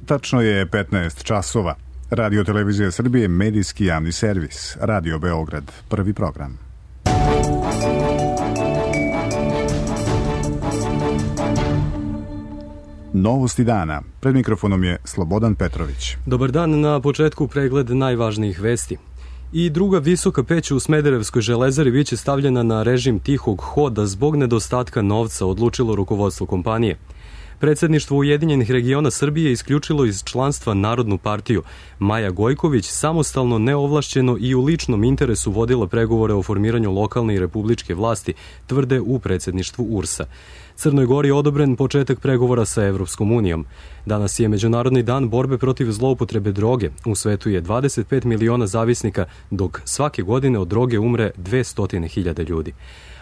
Tačno je 15 časova. Radio Televizija Srbije, medijski javni servis. Radio Beograd, prvi program. Novosti dana. Pred mikrofonom je Slobodan Petrović. Dobar dan, na početku pregled najvažnijih vesti. I druga visoka peć u Smederevskoj železari biće stavljena na režim tihog hoda zbog nedostatka novca, odlučilo rukovodstvo kompanije. Predsjedništvo Ujedinjenih regiona Srbije isključilo iz članstva Narodnu partiju. Maja Gojković samostalno, neovlašćeno i u ličnom interesu vodila pregovore o formiranju lokalne i republičke vlasti, tvrde u predsjedništvu URS-a. Crnoj Gori odobren početak pregovora sa Evropskom unijom. Danas je Međunarodni dan borbe protiv zloupotrebe droge. U svetu je 25 miliona zavisnika, dok svake godine od droge umre 200.000 ljudi.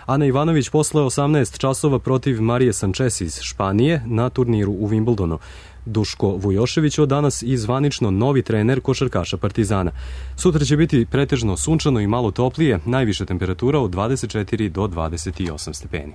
Ana Ivanović posle 18 časova protiv Marije Sanchez iz Španije na turniru u Wimbledonu. Duško Vujošević od danas i zvanično novi trener košarkaša Partizana. Sutra će biti pretežno sunčano i malo toplije, najviša temperatura od 24 do 28 stepeni.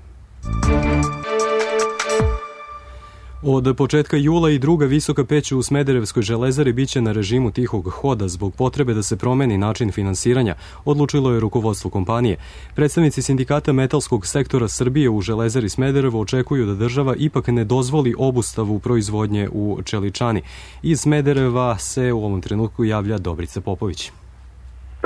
Od početka jula i druga visoka peć u Smederevskoj železari biće na režimu tihog hoda zbog potrebe da se promeni način finansiranja, odlučilo je rukovodstvo kompanije. Predstavnici sindikata metalskog sektora Srbije u železari Smederevo očekuju da država ipak ne dozvoli obustavu proizvodnje u Čeličani. Iz Smedereva se u ovom trenutku javlja Dobrica Popović.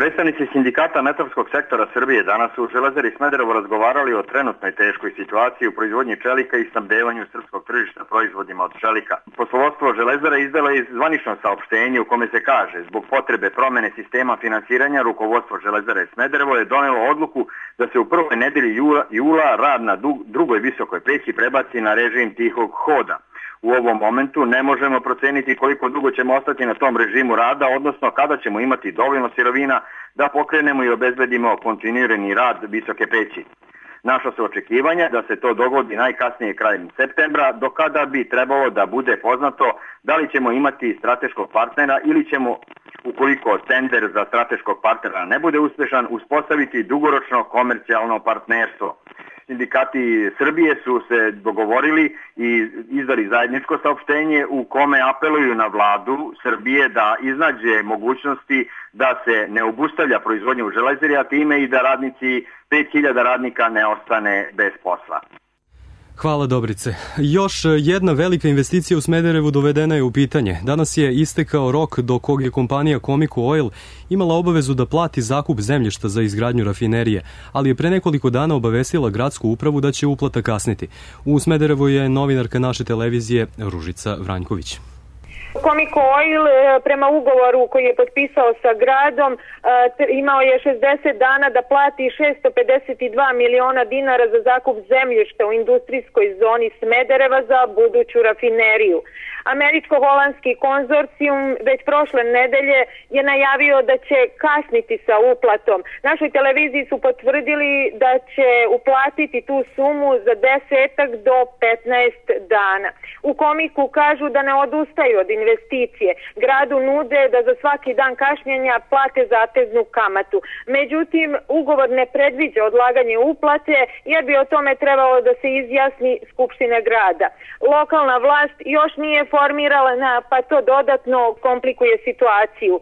Predstavnici sindikata metalskog sektora Srbije danas u železari Smederevo razgovarali o trenutnoj teškoj situaciji u proizvodnji čelika i snabdevanju srpskog tržišta proizvodima od čelika. Poslovodstvo železara izdala je zvanično saopštenje u kome se kaže: zbog potrebe promene sistema finansiranja rukovodstvo železare Smederevo je donelo odluku da se u prvoj nedelji jula rad na drugoj visokoj peći prebaci na režim tihog hoda. U ovom momentu ne možemo proceniti koliko dugo ćemo ostati na tom režimu rada, odnosno kada ćemo imati dovoljno sirovina da pokrenemo i obezbedimo kontinuirani rad visoke peći. Naša su očekivanja da se to dogodi najkasnije krajem septembra, do kada bi trebalo da bude poznato da li ćemo imati strateškog partnera ili ćemo, ukoliko tender za strateškog partnera ne bude uspešan, uspostaviti dugoročno komercijalno partnerstvo. Sindikati Srbije su se dogovorili i izdali zajedničko saopštenje u kome apeluju na vladu Srbije da iznađe mogućnosti da se ne obustavlja proizvodnja u železari, a time i da radnici, 5000 radnika ne ostane bez posla. Hvala Dobrice. Još jedna velika investicija u Smederevu dovedena je u pitanje. Danas je istekao rok do kog je kompanija Comico Oil imala obavezu da plati zakup zemljišta za izgradnju rafinerije, ali je pre nekoliko dana obavestila gradsku upravu da će uplata kasniti. U Smederevu je novinarka naše televizije Ružica Vranjković. Comico Oil prema ugovoru koji je potpisao sa gradom imao je 60 dana da plati 652 miliona dinara za zakup zemljišta u industrijskoj zoni Smedereva za buduću rafineriju. Američko-holandski konzorcijum već prošle nedelje je najavio da će kasniti sa uplatom. Našoj televiziji su potvrdili da će uplatiti tu sumu za 10 do 15 dana. U Comicu kažu da ne odustaju od investicije. Gradu nude da za svaki dan kašnjenja plate zateznu kamatu. Međutim, ugovor ne predviđa odlaganje uplate jer bi o tome trebalo da se izjasni Skupština grada. Lokalna vlast još nije formirana, pa to dodatno komplikuje situaciju.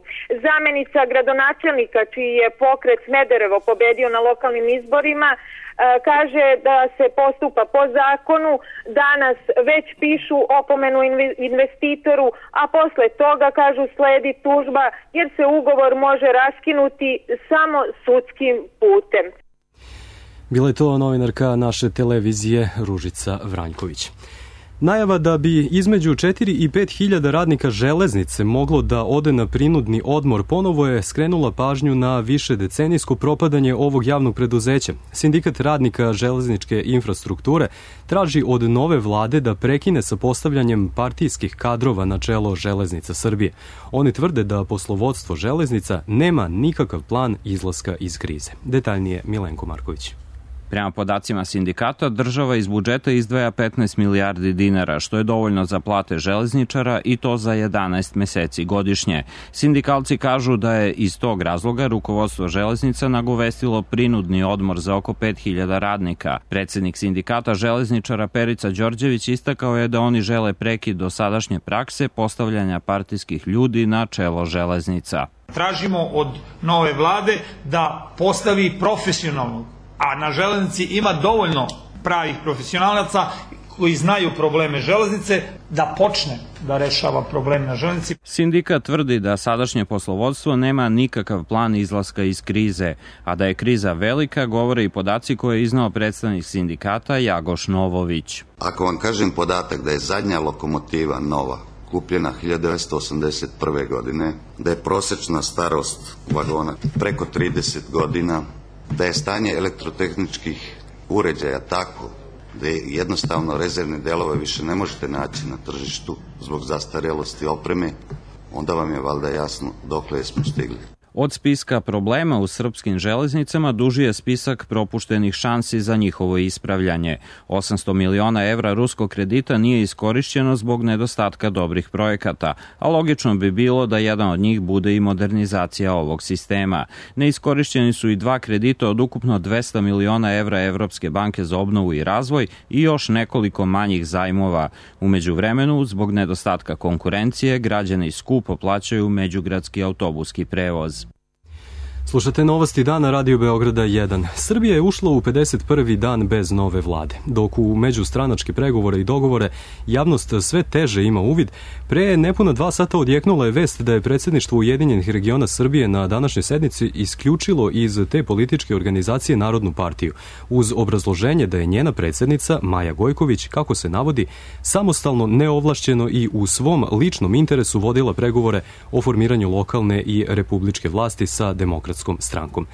Zamenica gradonačelnika, čiji je pokret Smederevo pobedio na lokalnim izborima, kaže da se postupa po zakonu. Danas već pišu opomenu investitoru, a posle toga, kažu, sledi tužba jer se ugovor može raskinuti samo sudskim putem. Bila je to novinarka naše televizije Ružica Vranjković. Najava da bi između 4 i 5 hiljada radnika železnice moglo da ode na prinudni odmor ponovo je skrenula pažnju na više decenijsko propadanje ovog javnog preduzeća. Sindikat radnika železničke infrastrukture traži od nove vlade da prekine sa postavljanjem partijskih kadrova na čelo Železnica Srbije. Oni tvrde da poslovodstvo železnica nema nikakav plan izlaska iz krize. Detaljnije Milenko Marković. Prema podacima sindikata, država iz budžeta izdvaja 15 milijardi dinara, što je dovoljno za plate železničara i to za 11 meseci godišnje. Sindikalci kažu da je iz tog razloga rukovodstvo železnica nagovestilo prinudni odmor za oko 5000 radnika. Predsednik sindikata železničara Perica Đorđević istakao je da oni žele prekid dosadašnje prakse postavljanja partijskih ljudi na čelo železnica. Tražimo od nove vlade da postavi profesionalnog, a na železnici ima dovoljno pravih profesionalaca koji znaju probleme železnice, da počne da rešava problem na železnici. Sindikat tvrdi da sadašnje poslovodstvo nema nikakav plan izlaska iz krize, a da je kriza velika govore i podaci koje je iznao predstavnik sindikata Jagoš Novović. Ako vam kažem podatak da je zadnja lokomotiva nova kupljena 1981. godine, da je prosečna starost vagona preko 30 godina, da je stanje elektrotehničkih uređaja tako da jednostavno rezervne delove više ne možete naći na tržištu zbog zastarelosti opreme, onda vam je valjda jasno dokle smo stigli. Od spiska problema u srpskim železnicama duži je spisak propuštenih šansi za njihovo ispravljanje. 800 miliona evra ruskog kredita nije iskorišćeno zbog nedostatka dobrih projekata, a logično bi bilo da jedan od njih bude i modernizacija ovog sistema. Neiskorišćeni su i 2 kredita od ukupno 200 miliona evra Evropske banke za obnovu i razvoj i još nekoliko manjih zajmova. U međuvremenu, zbog nedostatka konkurencije, građani skupo plaćaju međugradski autobuski prevoz. Slušate novosti dana Radio Beograda 1. Srbija je ušla u 51. dan bez nove vlade. Dok u međustranačke pregovore i dogovore javnost sve teže ima uvid, pre nepuna 2 sata odjeknula je vest da je predsjedništvo Ujedinjenih regiona Srbije na današnjoj sednici isključilo iz te političke organizacije Narodnu partiju, uz obrazloženje da je njena predsjednica Maja Gojković, kako se navodi, samostalno, neovlašćeno i u svom ličnom interesu vodila pregovore o formiranju lokalne i republičke vlasti sa Demokratskom strankom.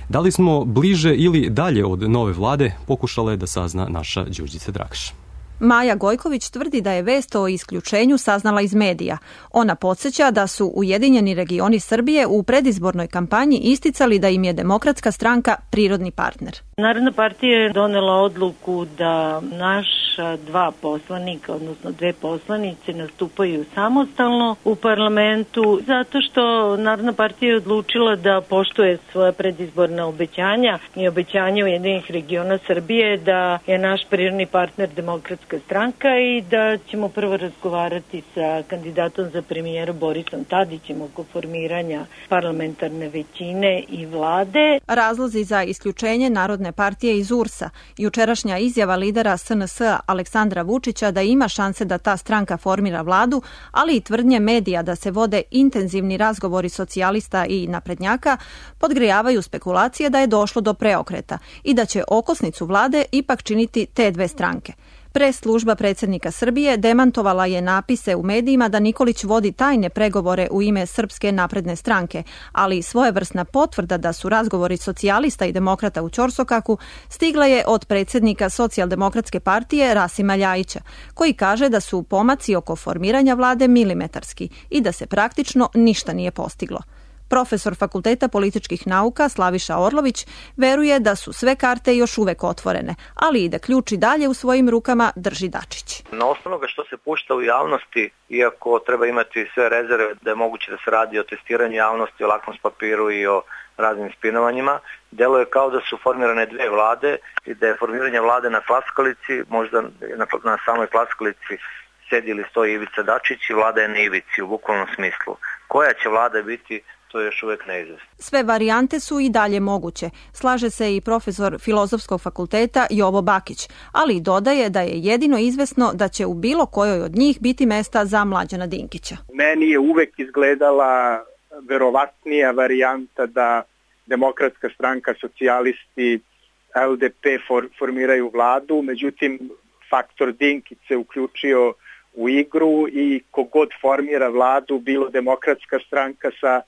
Da li smo bliže ili dalje od nove vlade, pokušala je da sazna naša Đurđica Drakaš. Maja Gojković tvrdi da je vest o isključenju saznala iz medija. Ona podsjeća da su Ujedinjeni regioni Srbije u predizbornoj kampanji isticali da im je Demokratska stranka prirodni partner. Narodna partija je donela odluku da naša 2 poslanika, odnosno 2 poslanice, nastupaju samostalno u parlamentu, zato što Narodna partija je odlučila da poštuje svoje predizborna obećanja i obećanja Ujedinjenih regiona Srbije da je naš prirodni partner Demokratska stranka i da ćemo prvo razgovarati sa kandidatom za premijera Borisom Tadićem oko formiranja parlamentarne većine i vlade. Razlozi za isključenje Narodne partije iz URS-a, jučerašnja izjava lidera SNS-a Aleksandra Vučića da ima šanse da ta stranka formira vladu, ali i tvrdnje medija da se vode intenzivni razgovori socijalista i naprednjaka, podgrejavaju spekulacije da je došlo do preokreta i da će okosnicu vlade ipak činiti te 2 stranke. Pres služba predsjednika Srbije demantovala je napise u medijima da Nikolić vodi tajne pregovore u ime Srpske napredne stranke, ali svojevrsna potvrda da su razgovori socijalista i demokrata u ćorsokaku stigla je od predsjednika Socijaldemokratske partije Rasima Ljajića, koji kaže da su pomaci oko formiranja vlade milimetarski i da se praktično ništa nije postiglo. Profesor Fakulteta političkih nauka Slaviša Orlović veruje da su sve karte još uvek otvorene, ali i da ključ i dalje u svojim rukama drži Dačić. Na osnovu što se pušta u javnosti, iako treba imati sve rezerve da je moguće da se radi o testiranju javnosti, o lakmus papiru i o raznim spinovanjima, deluje kao da su formirane 2 vlade i da je formiranje vlade na klackalici, možda na samoj klackalici sedi ili stoji Ivica Dačić i vlada je na ivici u bukvalnom smislu. Koja će vlada biti, to je još uvek neizvesno. Sve varijante su i dalje moguće, slaže se i profesor Filozofskog fakulteta Jovo Bakić, ali dodaje da je jedino izvesno da će u bilo kojoj od njih biti mesta za Mlađana Dinkića. Meni je uvek izgledala verovatnija varijanta da Demokratska stranka, socijalisti, LDP formiraju vladu, međutim faktor Dinkić se uključio u igru i kogod formira vladu, bilo Demokratska stranka sa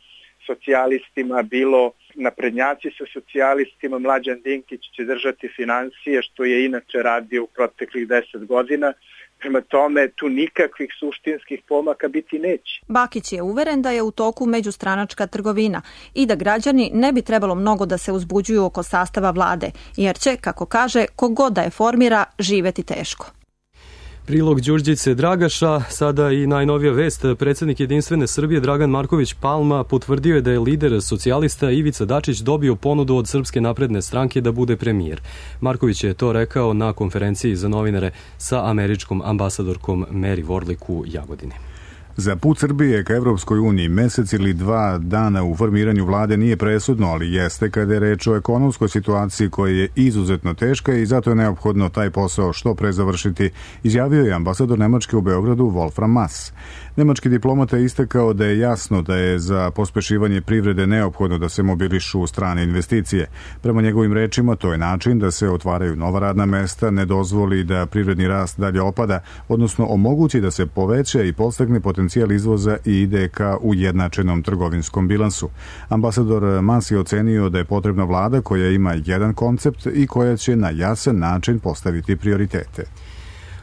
socijalistima, bilo naprednjaci sa socijalistima. Mlađan Dinkić će držati finansije, što je inače radio u proteklih 10 godina. Prema tome, tu nikakvih suštinskih pomaka biti neće. Bakić je uveren da je u toku međustranačka trgovina i da građani ne bi trebalo mnogo da se uzbuđuju oko sastava vlade, jer će, kako kaže, kogod da je formira, živeti teško. Prilog Đurđice Dragaša, sada i najnovija vest. Predsednik Jedinstvene Srbije Dragan Marković Palma potvrdio je da je lider socijalista Ivica Dačić dobio ponudu od Srpske napredne stranke da bude premijer. Marković je to rekao na konferenciji za novinare sa američkom ambasadorkom Mary Warlick u Jagodini. Za put Srbije ka Evropskoj uniji mesec ili 2 dana u formiranju vlade nije presudno, ali jeste kada je reč o ekonomskoj situaciji koja je izuzetno teška i zato je neophodno taj posao što pre završiti, izjavio je ambasador Nemačke u Beogradu Wolfram Maass. Nemački diplomata je istakao da je jasno da je za pospešivanje privrede neophodno da se mobilišu strane investicije. Prema njegovim rečima, to je način da se otvaraju nova radna mesta, ne dozvoli da privredni rast dalje opada, odnosno omogući da se poveća i podstakne potencijal izvoza i ide ka ujednačenom trgovinskom bilansu. Ambasador Maass je ocenio da je potrebna vlada koja ima jedan koncept i koja će na jasan način postaviti prioritete.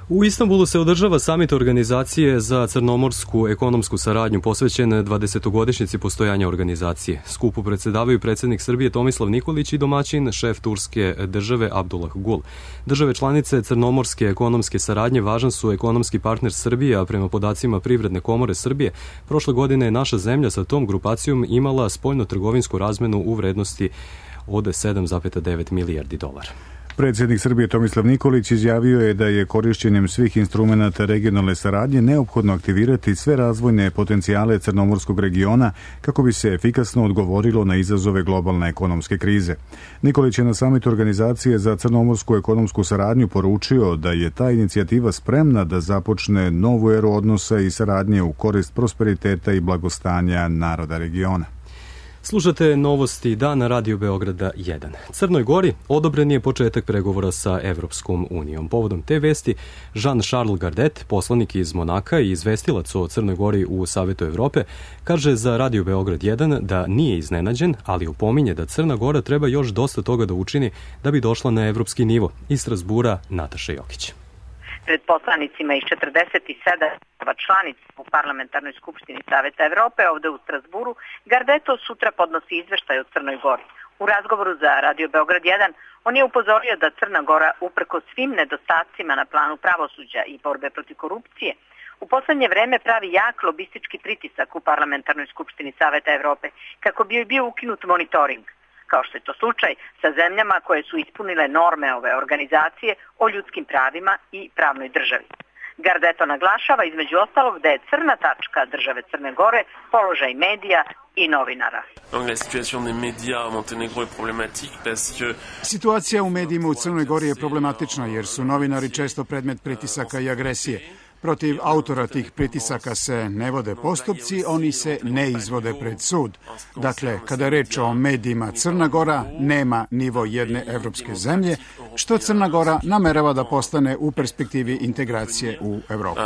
U Istanbulu se održava samit Organizacije za crnomorsku ekonomsku saradnju posvećen 20-godišnjici postojanja organizacije. Skupu predsedavaju predsednik Srbije Tomislav Nikolić i domaćin šef turske države Abdullah Gul. Države članice crnomorske ekonomske saradnje važan su ekonomski partner Srbije, a prema podacima Privredne komore Srbije, prošle godine je naša zemlja sa tom grupacijom imala spoljno-trgovinsku razmenu u vrednosti od 7,9 milijardi dolara. Predsjednik Srbije Tomislav Nikolić izjavio je da je korišćenjem svih instrumenata regionalne saradnje neophodno aktivirati sve razvojne potencijale crnomorskog regiona kako bi se efikasno odgovorilo na izazove globalne ekonomske krize. Nikolić je na samitu Organizacije za crnomorsku ekonomsku saradnju poručio da je ta inicijativa spremna da započne novu eru odnosa i saradnje u korist prosperiteta i blagostanja naroda regiona. Slušate novosti dana Radio Beograda 1. Crnoj Gori odobren je početak pregovora sa Evropskom unijom. Povodom te vesti, Jean-Charles Gardet, poslanik iz Monaka i izvestilac o Crnoj Gori u Savetu Evrope, kaže za Radio Beograd 1 da nije iznenađen, ali opominje da Crna Gora treba još dosta toga da učini da bi došla na evropski nivo. Iz Strasbura, Nataša Jokić. Pred poslanicima iz 47 članica u Parlamentarnoj skupštini Saveta Evrope ovde u Strasburu, Gardeto sutra podnosi izveštaj o Crnoj Gori. U razgovoru za Radio Beograd 1 on je upozorio da Crna Gora, uprko svim nedostacima na planu pravosuđa i borbe protiv korupcije, u poslednje vreme pravi jak lobistički pritisak u Parlamentarnoj skupštini Saveta Evrope kako bi joj bio ukinut monitoring, kao što je to slučaj sa zemljama koje su ispunile norme ove organizacije o ljudskim pravima i pravnoj državi. Gardeto naglašava između ostalog da je crna tačka države Crne Gore položaj medija i novinara. Situacija u medijima u Crnoj Gori je problematična jer su novinari često predmet pritisaka i agresije. Protiv autora tih pritisaka se ne vode postupci, oni se ne izvode pred sud. Dakle, kada je reč o medijima, Crna Gora nema nivo jedne evropske zemlje, što Crna Gora namerava da postane u perspektivi integracije u Evropu.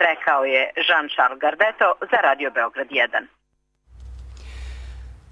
Rekao je Jean-Charles Gardeto za Radio Beograd 1.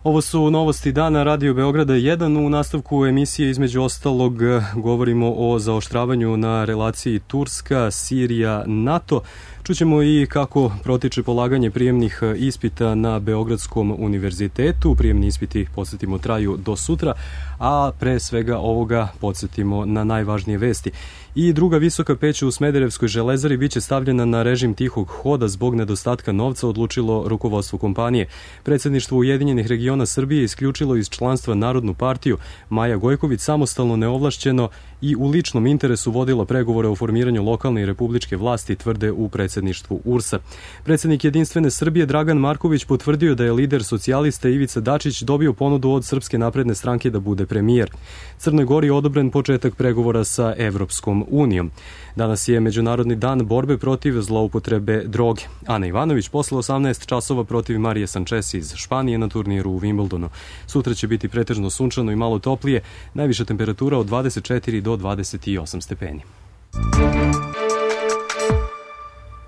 Ovo su novosti dana Radio Beograda 1. U nastavku emisije između ostalog govorimo o zaoštravanju na relaciji Turska, Sirija, NATO. Čućemo i kako protiče polaganje prijemnih ispita na Beogradskom univerzitetu. Prijemni ispiti, podsjetimo, traju do sutra, a pre svega ovoga podsjetimo na najvažnije vesti. I druga visoka peć u Smederevskoj železari biće stavljena na režim tihog hoda zbog nedostatka novca, odlučilo rukovodstvo kompanije. Predsedništvo Ujedinjenih regiona Srbije isključilo iz članstva Narodnu partiju. Maja Gojković samostalno, neovlašćeno i u ličnom interesu vodila pregovore o formiranju lokalne i republičke vlasti, tvrde u predsedništvu URS-a. Predsednik Jedinstvene Srbije Dragan Marković potvrdio da je lider socijalista Ivica Dačić dobio ponudu od Srpske napredne stranke da bude premijer. Crnoj Gori je odobren početak pregovora sa Evropskom unijom. Danas je Međunarodni dan borbe protiv zloupotrebe droge. Ana Ivanović posle 18 časova protiv Marije Sanchez iz Španije na turniru u Wimbledonu. Sutra će biti pretežno sunčano i malo toplije, najviša temperatura od 24 do 28 stepeni.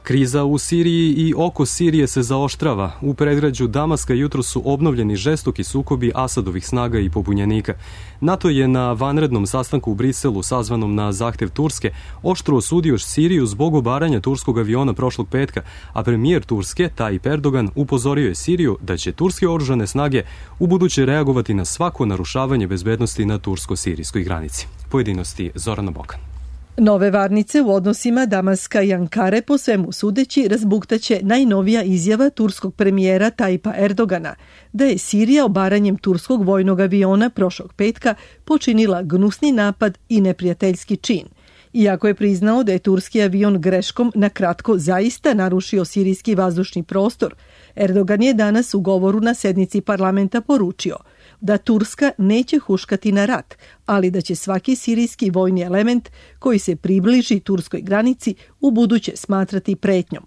Kriza u Siriji i oko Sirije se zaoštrava. U predgrađu Damaska jutro su obnovljeni žestoki sukobi Asadovih snaga i pobunjenika. NATO je na vanrednom sastanku u Briselu, sazvanom na zahtev Turske, oštro osudio Siriju zbog obaranja turskog aviona prošlog petka, a premijer Turske, Tayyip Erdogan, upozorio je Siriju da će turske oružane snage ubuduće reagovati na svako narušavanje bezbednosti na tursko-sirijskoj granici. Pojedinosti Zorana Bokan. Nove varnice u odnosima Damaska i Ankare po svemu sudeći razbuktaće najnovija izjava turskog premijera Tayyipa Erdogana da je Sirija obaranjem turskog vojnog aviona prošlog petka počinila gnusni napad i neprijateljski čin. Iako je priznao da je turski avion greškom na kratko zaista narušio sirijski vazdušni prostor, Erdogan je danas u govoru na sednici parlamenta poručio da Turska neće huškati na rat, ali da će svaki sirijski vojni element koji se približi turskoj granici ubuduće smatrati pretnjom.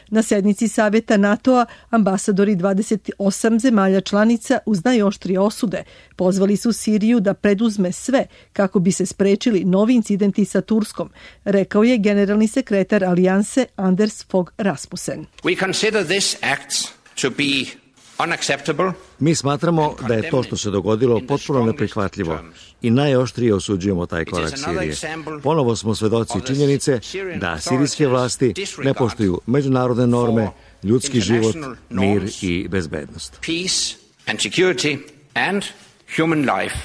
Na sednici Savjeta NATO-a ambasadori 28 zemalja članica uz najoštrije osude pozvali su Siriju da preduzme sve kako bi se sprečili novi incidenti sa Turskom, rekao je generalni sekretar Alijanse Anders Fogh Rasmussen. We consider this act to be unacceptable. Mi smatramo da je to što se dogodilo potpuno neprihvatljivo i najoštrije osuđujemo taj korak Sirije. Ponovo smo svedoci činjenice da sirijske vlasti ne poštuju međunarodne norme, ljudski život, mir i bezbednost. Peace and security and human life.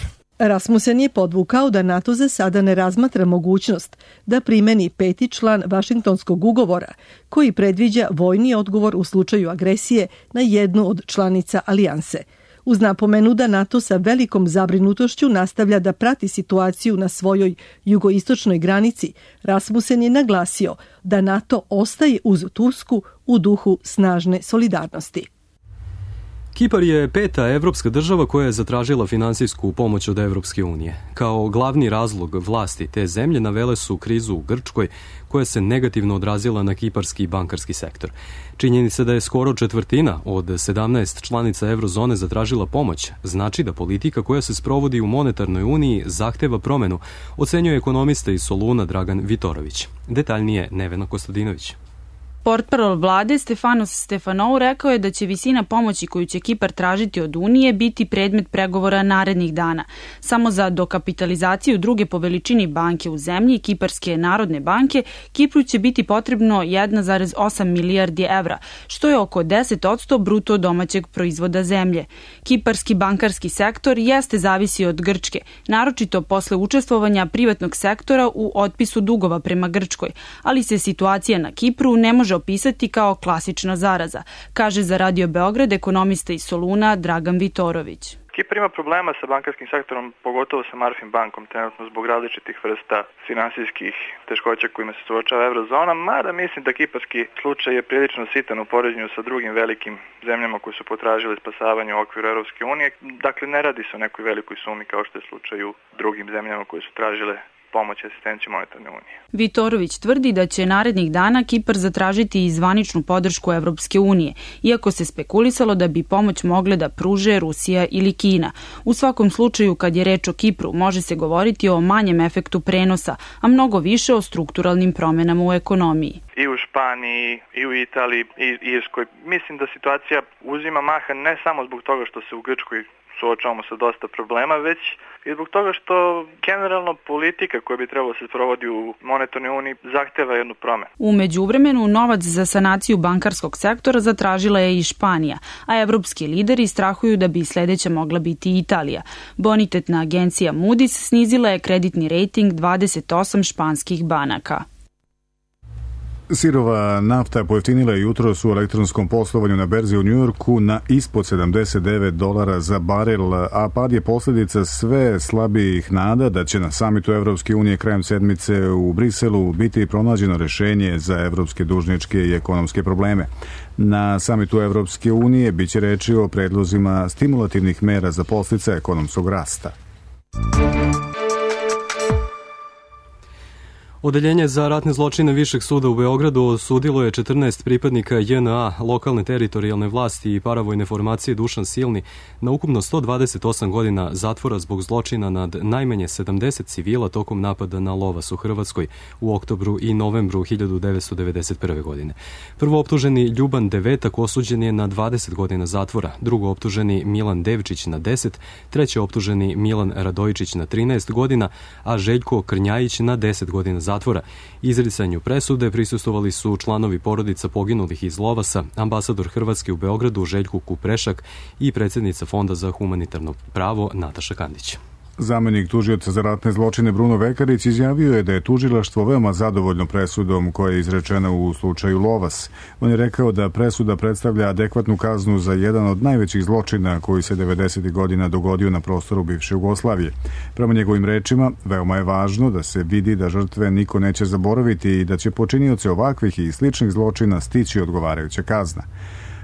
Rasmussen je podvukao da NATO za sada ne razmatra mogućnost da primeni 5. član Vašingtonskog ugovora koji predviđa vojni odgovor u slučaju agresije na jednu od članica alijanse. Uz napomenu da NATO sa velikom zabrinutošću nastavlja da prati situaciju na svojoj jugoistočnoj granici, Rasmussen je naglasio da NATO ostaje uz Tursku u duhu snažne solidarnosti. Kipar je 5. evropska država koja je zatražila finansijsku pomoć od Evropske unije. Kao glavni razlog vlasti te zemlje navele su krizu u Grčkoj, koja se negativno odrazila na kiparski bankarski sektor. Činjenica da je skoro četvrtina od 17 članica eurozone zatražila pomoć znači da politika koja se sprovodi u monetarnoj uniji zahteva promenu, ocenjuje ekonomista iz Soluna Dragan Vitorović. Detaljnije Nevena Kostadinović. Portparol vlade Stefanos Stefanou rekao je da će visina pomoći koju će Kipar tražiti od Unije biti predmet pregovora narednih dana. Samo za dokapitalizaciju druge po veličini banke u zemlji, Kiparske narodne banke, Kipru će biti potrebno 1,8 milijardi evra, što je oko 10% bruto domaćeg proizvoda zemlje. Kiparski bankarski sektor jeste zavisi od Grčke, naročito posle učestvovanja privatnog sektora u otpisu dugova prema Grčkoj, ali se situacija na Kipru ne može opisati kao klasična zaraza, kaže za Radio Beograd ekonomista iz Soluna Dragan Vitorović. Kipar ima problema sa bankarskim sektorom, pogotovo sa Marfin bankom, trenutno zbog različitih vrsta finansijskih teškoća kojima se suočava eurozona, mada mislim da kiparski slučaj je prilično sitan u poređenju sa drugim velikim zemljama koji su potražili spasavanje u okviru Europske unije. Dakle, ne radi se o nekoj velikoj sumi kao što je slučaj u drugim zemljama koje su tražile pomoć i asistenciju monetarne unije. Vitorović tvrdi da će narednih dana Kipar zatražiti i zvaničnu podršku Evropske unije, iako se spekulisalo da bi pomoć mogle da pruže Rusija ili Kina. U svakom slučaju, kad je reč o Kipru, može se govoriti o manjem efektu prenosa, a mnogo više o strukturalnim promenama u ekonomiji. I u Španiji, i u Italiji, i Irskoj. Mislim da situacija uzima maha ne samo zbog toga što se u Grčkoj suočavamo sa dosta problema, već i zbog toga što generalno politika koja bi trebalo se sprovodi u monetarnoj uniji zahteva jednu promenu. U međuvremenu novac za sanaciju bankarskog sektora zatražila je i Španija, a evropski lideri strahuju da bi sledeća mogla biti Italija. Bonitetna agencija Moody's snizila je kreditni rejting 28 španskih banaka. Sirova nafta pojeftinila je jutros u elektronskom poslovanju na berzi u Njujorku na ispod $79 za barel, a pad je posljedica sve slabijih nada da će na samitu Evropske unije krajem sedmice u Briselu biti pronađeno rešenje za evropske dužničke i ekonomske probleme. Na samitu Evropske unije biće reči o predlozima stimulativnih mera za podsticaj ekonomskog rasta. Odeljenje za ratne zločine Višeg suda u Beogradu osudilo je 14 pripadnika JNA, lokalne teritorijalne vlasti i paravojne formacije Dušan Silni na ukupno 128 godina zatvora zbog zločina nad najmanje 70 civila tokom napada na Lovas u Hrvatskoj u oktobru i novembru 1991. godine. Prvooptuženi Ljuban Devetak osuđen je na 20 godina zatvora, drugooptuženi Milan Devčić na 10, trećeoptuženi Milan Radojičić na 13 godina, a Željko Krnjajić na 10 godina zatvora. Izricanju presude prisustvovali su članovi porodica poginulih iz Lovasa, ambasador Hrvatske u Beogradu Željko Kuprešak i predsjednica Fonda za humanitarno pravo Nataša Kandić. Zamenik tužioca za ratne zločine Bruno Vekarić izjavio je da je tužilaštvo veoma zadovoljno presudom koja je izrečena u slučaju Lovas. On je rekao da presuda predstavlja adekvatnu kaznu za jedan od najvećih zločina koji se 90. godina dogodio na prostoru bivše Jugoslavije. Prema njegovim rečima, veoma je važno da se vidi da žrtve niko neće zaboraviti i da će počinioci ovakvih i sličnih zločina stići odgovarajuća kazna.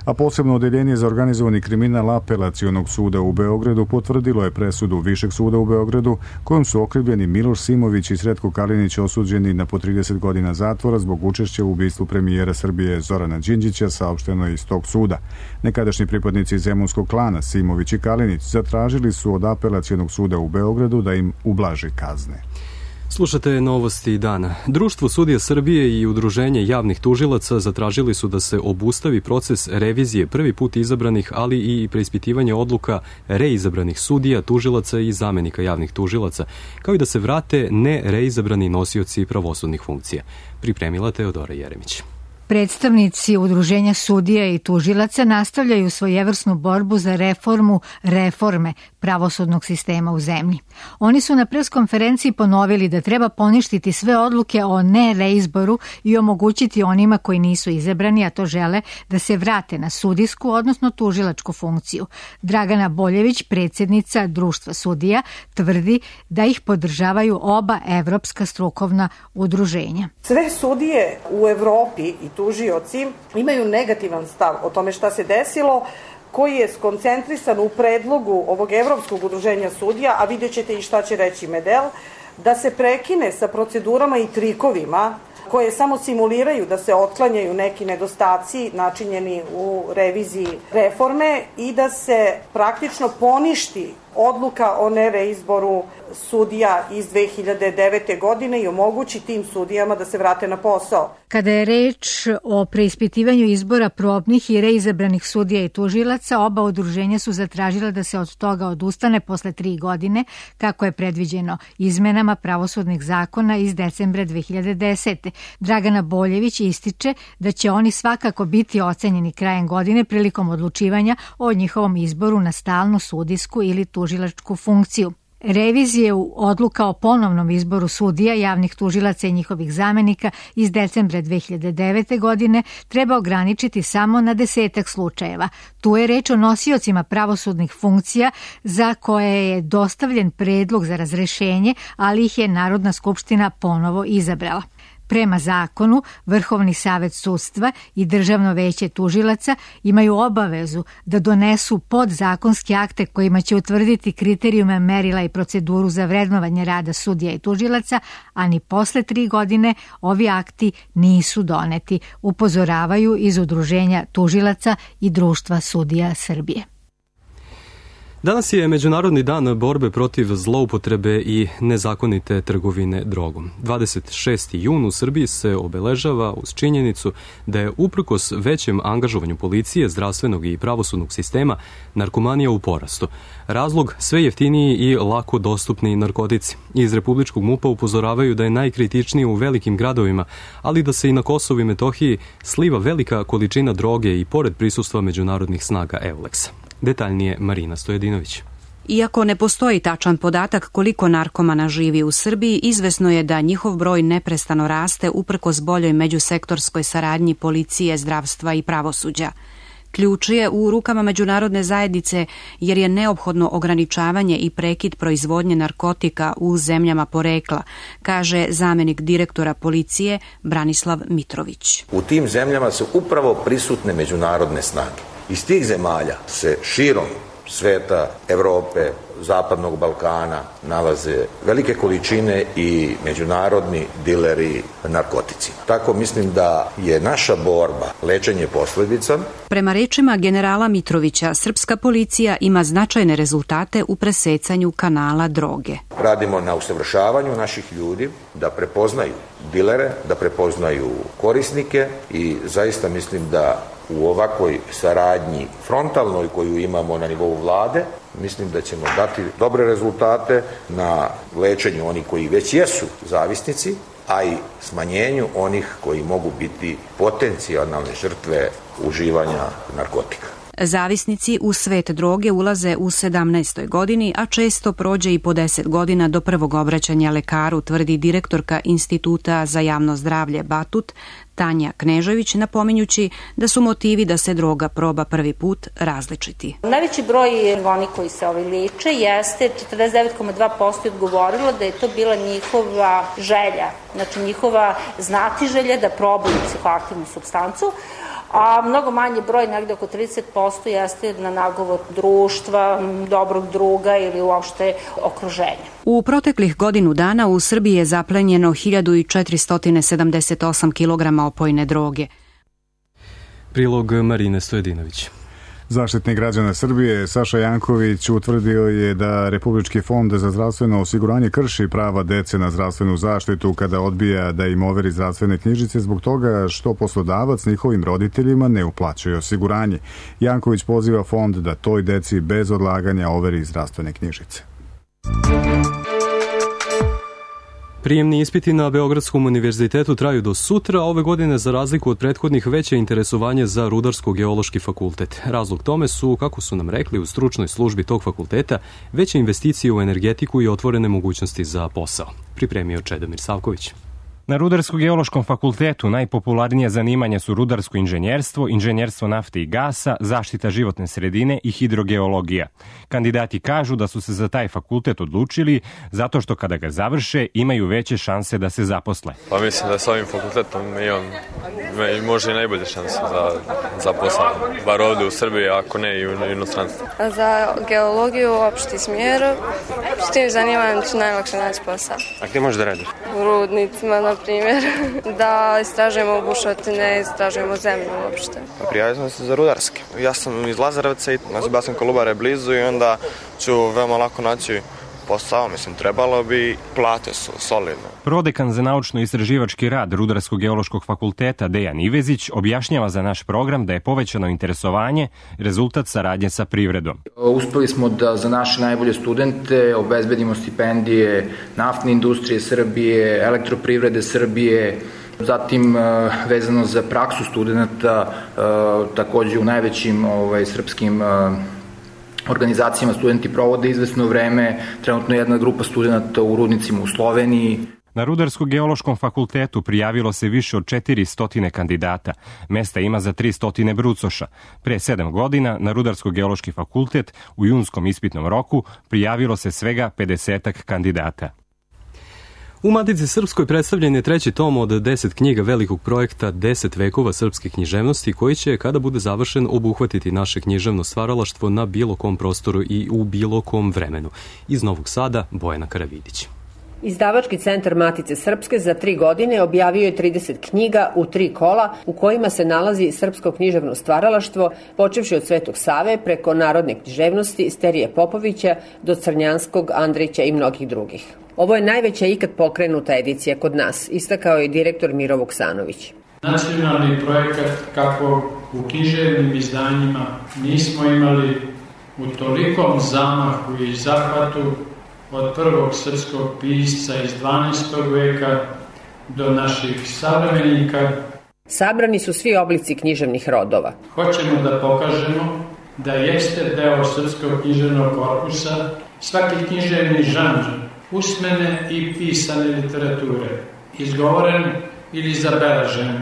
A posebno odeljenje za organizovani kriminal Apelacionog suda u Beogradu potvrdilo je presudu Višeg suda u Beogradu kojom su okrivljeni Miloš Simović i Sretko Kalinić osuđeni na po 30 godina zatvora zbog učešća u ubistvu premijera Srbije Zorana Đinđića, saopšteno iz tog suda. Nekadašnji pripadnici zemunskog klana Simović i Kalinić zatražili su od Apelacionog suda u Beogradu da im ublaži kazne. Slušate novosti dana. Društvo sudija Srbije i Udruženje javnih tužilaca zatražili su da se obustavi proces revizije prvi put izabranih, ali i preispitivanje odluka reizabranih sudija, tužilaca i zamenika javnih tužilaca, kao i da se vrate nereizabrani nosioci pravosudnih funkcija. Pripremila Teodora Jeremić. Predstavnici Udruženja sudija i tužilaca nastavljaju svojevrsnu borbu za reforme pravosudnog sistema u zemlji. Oni su na preskonferenciji ponovili da treba poništiti sve odluke o nereizboru i omogućiti onima koji nisu izabrani, a to žele, da se vrate na sudijsku, odnosno tužilačku funkciju. Dragana Boljević, predsjednica Društva sudija, tvrdi da ih podržavaju oba evropska strukovna udruženja. Sve sudije u Evropi i tužioci imaju negativan stav o tome šta se desilo, koji je skoncentrisan u predlogu ovog Evropskog udruženja sudija, a vidjet ćete i šta će reći Medel, da se prekine sa procedurama i trikovima koje samo simuliraju da se otklanjaju neki nedostaci načinjeni u reviziji reforme i da se praktično poništi odluka o nereizboru sudija iz 2009. godine i omogući tim sudijama da se vrate na posao. Kada je reč o preispitivanju izbora probnih i reizabranih sudija i tužilaca, oba udruženja su zatražila da se od toga odustane posle 3 godine, kako je predviđeno izmenama pravosudnih zakona iz decembra 2010. Dragana Boljević ističe da će oni svakako biti ocenjeni krajem godine prilikom odlučivanja o njihovom izboru na stalnu sudijsku ili tužilačku funkciju. Revizije odluka o ponovnom izboru sudija, javnih tužilaca i njihovih zamenika iz decembra 2009. godine treba ograničiti samo na 10 slučajeva. Tu je reč o nosiocima pravosudnih funkcija za koje je dostavljen predlog za razrešenje, ali ih je Narodna skupština ponovo izabrala. Prema zakonu, Vrhovni savet sudstva i Državno veće tužilaca imaju obavezu da donesu podzakonske akte kojima će utvrditi kriterijume, merila i proceduru za vrednovanje rada sudija i tužilaca, a ni posle 3 godine ovi akti nisu doneti, upozoravaju iz Udruženja tužilaca i Društva sudija Srbije. Danas je Međunarodni dan borbe protiv zloupotrebe i nezakonite trgovine drogom. 26. jun u Srbiji se obeležava uz činjenicu da je uprkos većem angažovanju policije, zdravstvenog i pravosudnog sistema narkomanija u porastu. Razlog sve jeftiniji i lako dostupni narkotici. Iz Republičkog MUP-a upozoravaju da je najkritičnije u velikim gradovima, ali da se i na Kosovu i Metohiji sliva velika količina droge i pored prisustva međunarodnih snaga EULEX-a. Detaljnije Marina Stojedinović. Iako ne postoji tačan podatak koliko narkomana živi u Srbiji, izvesno je da njihov broj neprestano raste uprkos boljoj međusektorskoj saradnji policije, zdravstva i pravosuđa. Ključ je u rukama međunarodne zajednice jer je neophodno ograničavanje i prekid proizvodnje narkotika u zemljama porekla, kaže zamenik direktora policije Branislav Mitrović. U tim zemljama su upravo prisutne međunarodne snage. Iz tih zemalja se širom sveta, Evrope, Zapadnog Balkana nalaze velike količine i međunarodni dileri narkoticima. Tako mislim da je naša borba lečenje posledica. Prema rečima generala Mitrovića, srpska policija ima značajne rezultate u presecanju kanala droge. Radimo na usavršavanju naših ljudi da prepoznaju dilere, da prepoznaju korisnike i zaista mislim da u ovakvoj saradnji frontalnoj koju imamo na nivou vlade, mislim da ćemo dati dobre rezultate na lečenju onih koji već jesu zavisnici, a i smanjenju onih koji mogu biti potencijalne žrtve uživanja narkotika. Zavisnici u svet droge ulaze u 17. godini, a često prođe i po 10 godina do prvog obraćanja lekaru, tvrdi direktorka Instituta za javno zdravlje Batut, Tanja Knežević, napominjući da su motivi da se droga proba prvi put različiti. Najveći broj oni koji se leče jeste 49,2% odgovorilo da je to bila njihova želja, znači njihova znatiželja da probaju psihoaktivnu supstancu, a mnogo manji broj, negde oko 30%, jeste na nagovor društva, dobrog druga ili uopšte okruženja. U proteklih godinu dana u Srbiji je zaplenjeno 1478 kg opojne droge. Prilog Marine Stojedinović. Zaštitnik građana Srbije Saša Janković utvrdio je da Republički fond za zdravstveno osiguranje krši prava dece na zdravstvenu zaštitu kada odbija da im overi zdravstvene knjižice zbog toga što poslodavac njihovim roditeljima ne uplaćuje osiguranje. Janković poziva fond da toj deci bez odlaganja overi zdravstvene knjižice. Prijemni ispiti na Beogradskom univerzitetu traju do sutra, a ove godine za razliku od prethodnih veće interesovanje za Rudarsko-geološki fakultet. Razlog tome su, kako su nam rekli u stručnoj službi tog fakulteta, veće investicije u energetiku i otvorene mogućnosti za posao. Pripremio Čedomir Savković. Na Rudarsko-geološkom fakultetu najpopularnije zanimanja su rudarsko inženjerstvo, inženjerstvo nafte i gasa, zaštita životne sredine i hidrogeologija. Kandidati kažu da su se za taj fakultet odlučili zato što kada ga završe imaju veće šanse da se zaposle. Pa mislim da sa ovim fakultetom imam možda i najbolje šanse za posao, bar ovde u Srbiji, ako ne i u inostranstvu. Za geologiju opšti smjer, s tim zanimanjem ću najlakše naći posao. A gde možeš da radiš? U rudnicima, na primjer, da istražujemo bušotine, istražujemo zemlju uopšte. Prijavio sam se za rudarski. Ja sam iz Lazarevca i ja sam Kolubare blizu i onda ću veoma lako naći posao, mislim, trebalo bi, plate su solidne. Prodekan za naučno-istraživački rad Rudarsko-geološkog fakulteta Dejan Ivezić objašnjava za naš program da je povećano interesovanje rezultat saradnje sa privredom. Uspeli smo da za naše najbolje studente obezbedimo stipendije naftne industrije Srbije, elektroprivrede Srbije, zatim vezano za praksu studenta, takođe u najvećim srpskim organizacijama studenti provode izvesno vreme, trenutno jedna grupa studenta u rudnicima u Sloveniji. Na Rudarsko-geološkom fakultetu prijavilo se više od 400 kandidata. Mesta ima za 300 brucoša. Pre 7 godina na Rudarsko-geološki fakultet u junskom ispitnom roku prijavilo se svega 50 kandidata. U Matici Srpskoj predstavljen je treći tom od 10 knjiga velikog projekta 10 vekova srpske književnosti koji će, kada bude završen, obuhvatiti naše književno stvaralaštvo na bilo kom prostoru i u bilo kom vremenu. Iz Novog Sada, Bojana Karavidić. Izdavački centar Matice Srpske za 3 godine objavio je 30 knjiga u 3 kola u kojima se nalazi srpsko književno stvaralaštvo, počevši od Svetog Save preko narodne književnosti Sterije Popovića do Crnjanskog, Andrića i mnogih drugih. Ovo je najveća ikad pokrenuta edicija kod nas, istakao je direktor Miro Vuksanović. Nacionalni projekat kako u književnim izdanjima nismo imali u tolikom zamahu i zahvatu od prvog srpskog pisca iz 12. veka do naših savremenika. Sabrani su svi oblici književnih rodova. Hoćemo da pokažemo da jeste deo srpskog književnog korpusa svaki književni žanr usmene i pisane literature, izgovoren ili zabeležen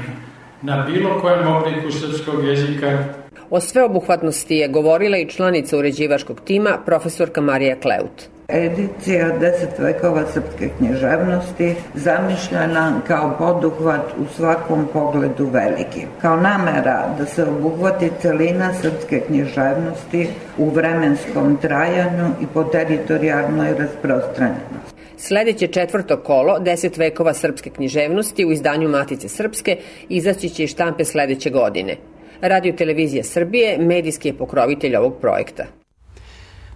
na bilo kojem obliku srpskog jezika. O sveobuhvatnosti je govorila i članica uređivačkog tima, profesorka Marija Kleut. Edicija 10 vekova srpske književnosti zamišljena kao poduhvat u svakom pogledu veliki. Kao namera da se obuhvati celina srpske književnosti u vremenskom trajanju i po teritorijalnoj rasprostranjenosti. Sledeće četvrto kolo 10 vekova srpske književnosti u izdanju Matice Srpske izaći će iz štampe sledeće godine. Radio Televizija Srbije medijski je pokrovitelj ovog projekta.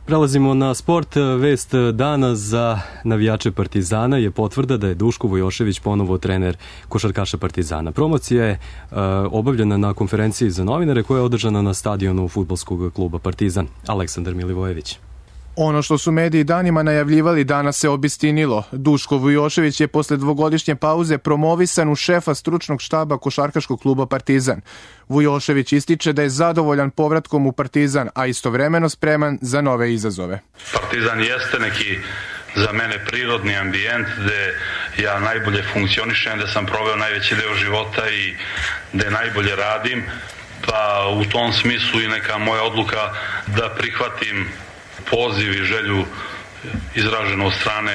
Prelazimo na sport. Vest dana za navijače Partizana je potvrda da je Duško Vujošević ponovo trener košarkaša Partizana. Promocija je obavljena na konferenciji za novinare koja je održana na stadionu fudbalskog kluba Partizan. Aleksandar Milivojević. Ono što su mediji danima najavljivali danas se obistinilo. Duško Vujošević je posle dvogodišnje pauze promovisan u šefa stručnog štaba košarkaškog kluba Partizan. Vujošević ističe da je zadovoljan povratkom u Partizan, a istovremeno spreman za nove izazove. Partizan jeste neki za mene prirodni ambijent gde ja najbolje funkcionišem, gde sam proveo najveći deo života i gde najbolje radim, pa u tom smislu i neka moja odluka da prihvatim poziv i želju izraženo od strane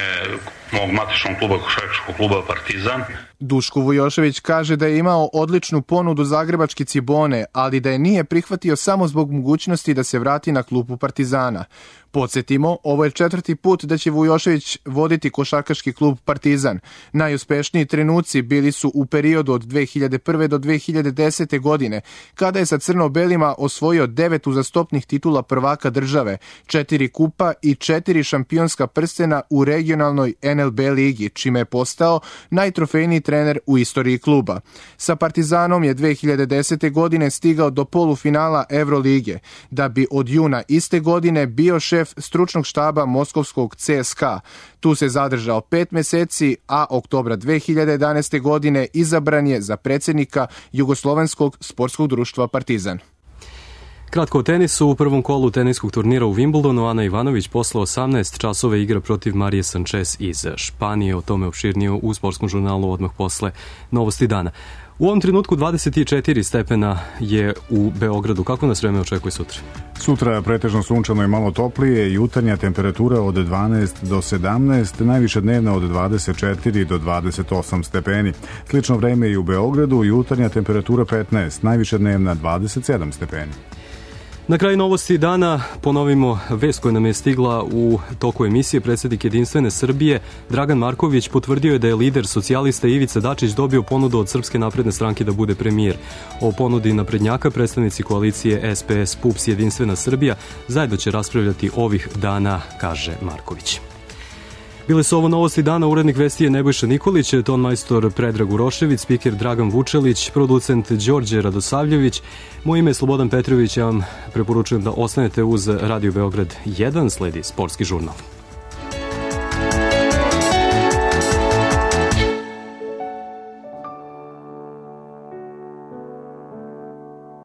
mog matičnog kluba, košarkaškog kluba Partizan. Duško Vujošević kaže da je imao odličnu ponudu zagrebačke Cibone, ali da je nije prihvatio samo zbog mogućnosti da se vrati na klupu Partizana. Podsjetimo, ovo je 4. put da će Vujošević voditi košarkaški klub Partizan. Najuspešniji trenuci bili su u periodu od 2001. do 2010. godine, kada je sa crno-belima osvojio 9 uzastopnih titula prvaka države, 4 kupa i 4 šampionska prstena u regionalnoj NLB ligi, čime je postao najtrofejniji trener u istoriji kluba. Sa Partizanom je 2010. godine stigao do polufinala Evrolige, da bi od juna iste godine bio šef stručnog štaba moskovskog CSKA. Tu se zadržao 5 meseci, a oktobra 2011. godine izabran je za predsjednika Jugoslovenskog sportskog društva Partizan. Kratko o tenisu. U prvom kolu teniskog turnira u Wimbledonu Ana Ivanović posle 18 časova igra protiv Marije Sanchez iz Španije. O tome opširnije u sportskom žurnalu odmah posle novosti dana. U ovom trenutku 24 stepena je u Beogradu. Kako nas vreme očekuje sutra? Sutra pretežno sunčano i malo toplije, jutarnja temperatura od 12 do 17, najviša dnevna od 24 do 28 stepeni. Slično vreme i u Beogradu, jutarnja temperatura 15, najviša dnevna 27 stepeni. Na kraju novosti dana ponovimo vest koja nam je stigla u toku emisije. Predsjednik Jedinstvene Srbije Dragan Marković potvrdio je da je lider socijalista Ivica Dačić dobio ponudu od Srpske napredne stranke da bude premijer. O ponudi naprednjaka predstavnici koalicije SPS, PUPS, Jedinstvena Srbija zajedno će raspravljati ovih dana, kaže Marković. Bile su ovo novosti dana, urednik vesti je Nebojša Nikolić, ton majstor Predrag Urošević, spiker Dragan Vučelić, producent Đorđe Radosavljević. Moje ime je Slobodan Petrović, ja vam preporučujem da ostanete uz Radio Beograd 1, sledi sportski žurnal.